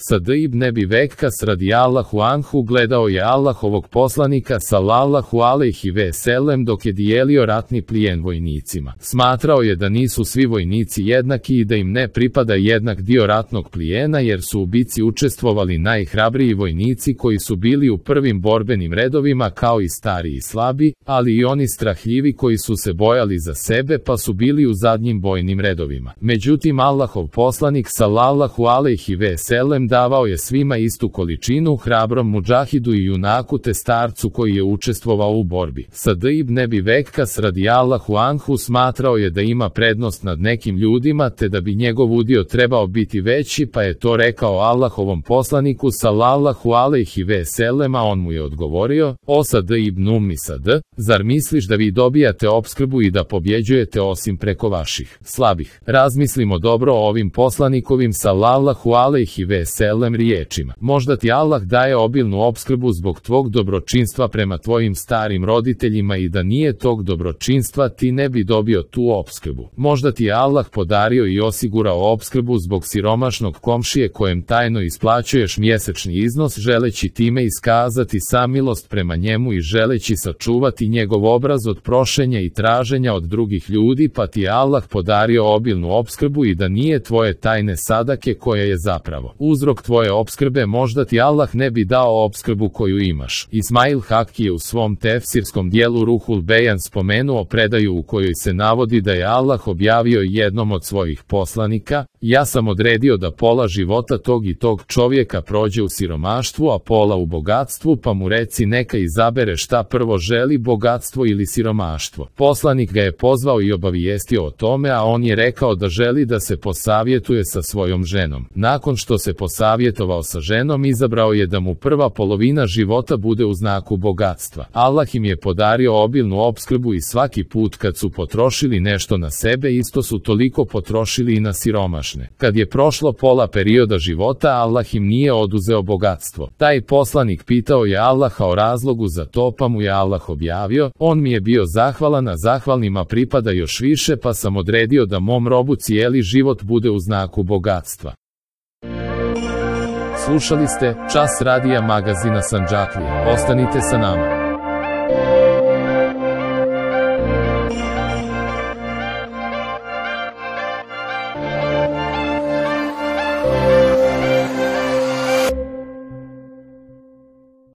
Sad ibn Ebi Vekas radijallahu anhu gledao je Allahovog poslanika sallallahu alejhi ve sellem dok je dijelio ratni plijen vojnicima. Smatrao je da nisu svi vojnici jednaki i da im ne pripada jednak dio ratnog plijena jer su u bici učestvovali najhrabriji vojnici koji su bili u prvim borbenim redovima kao i stari i slabi, ali i oni strahljivi koji su se bojali za sebe pa su bili u zadnjim bojnim redovima. Međutim, Allahov poslanik sallallahu alejhi ve sellem davao je svima istu količinu, hrabrom mudžahidu i junaku te starcu koji je učestvovao u borbi. Sad ibn Ebi Vekas radijallahu anhu smatrao je da ima prednost nad nekim ljudima te da bi njegov udio trebao biti veći, pa je to rekao Allahovom poslaniku sallallahu alejhi ve sellem, a on mu je odgovorio: O Sad ibn Ummi Sad, zar misliš da vi dobijate opskrbu i da pobjeđujete osim preko vaših slabih? Razmislimo dobro o ovim poslanikovim sallallahu alejhi ve sellem riječima. Možda ti Allah daje obilnu opskrbu zbog tvog dobročinstva prema tvojim starim roditeljima i da nije tog dobročinstva ti ne bi dobio tu opskrbu. Možda ti je Allah podario i osigurao opskrbu zbog siromašnog komšije kojem tajno isplaćuješ mjesečni iznos želeći time iskazati samilost prema njemu i želeći sačuvati njegov obraz od prošenja i traženja od drugih ljudi, pa ti je Allah podario obilnu opskrbu i da nije tvoje tajne sadake koja je zapravo uzrok tvoje opskrbe, možda ti Allah ne bi dao opskrbu koju imaš. Ismail Hakki je u svom tefsirskom dijelu Ruhul Bejan spomenuo predaju u kojoj se navodi da je Allah objavio jednom od svojih poslanika: ja sam odredio da pola života tog i tog čovjeka prođe u siromaštvu, a pola u bogatstvu, pa mu reci neka izabere šta prvo želi, bogatstvo ili siromaštvo. Poslanik ga je pozvao i obavijestio o tome, a on je rekao da želi da se posavjetuje sa svojom ženom. Nakon što se posavjetovao sa ženom, izabrao je da mu prva polovina života bude u znaku bogatstva. Allah im je podario obilnu opskrbu i svaki put kad su potrošili nešto na sebe, isto su toliko potrošili i na siromašne. Kad je prošlo pola perioda života, Allah im nije oduzeo bogatstvo. Taj poslanik pitao je Allaha o razlogu za to, pa mu je Allah objavio: on mi je bio zahvalan, a zahvalnima pripada još više, pa sam odredio da mom robu cijeli život bude u znaku bogatstva. Slušali ste Čas radija magazina Sandžaklija. Ostanite sa nama.